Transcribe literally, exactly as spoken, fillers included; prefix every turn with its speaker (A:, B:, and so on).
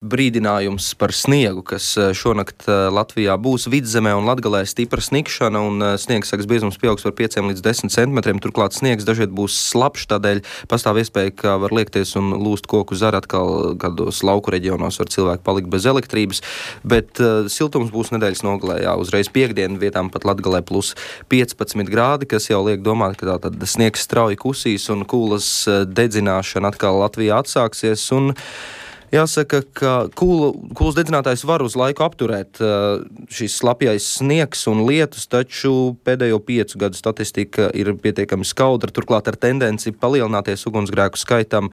A: brīdinājums par sniegu, kas šonakt Latvijā būs Vidzemē un Latgalē stipra snikšana, un sniegs sagas biezums pieaugs par pieciem līdz desmit centimetriem. Turklāt sniegs dažviet būs slapjš, tādēļ pastāv iespēja, ka var liekties un lūst koku zari. Atkal kādos lauku reģionos var cilvēki palikt bez elektrības, bet uh, siltums būs nedēļas nogalē. Jā, uzreiz piekdienu vietām pat Latgalē plus piecpadsmit grādi, kas jau liek domāt, ka tā tad sniegs strauji kusīs un kūlas dedzināšana atkal Latvijā atsāksies. Un jāsaka, ka kūlu, kūlas dedzinātājs var uz laiku apturēt uh, šīs slapjais sniegs un lietus, taču pēdējo piecu gadu statistika ir pietiekami skaudra, turklāt ar tendenci palielināties ugunsgrēku skaitam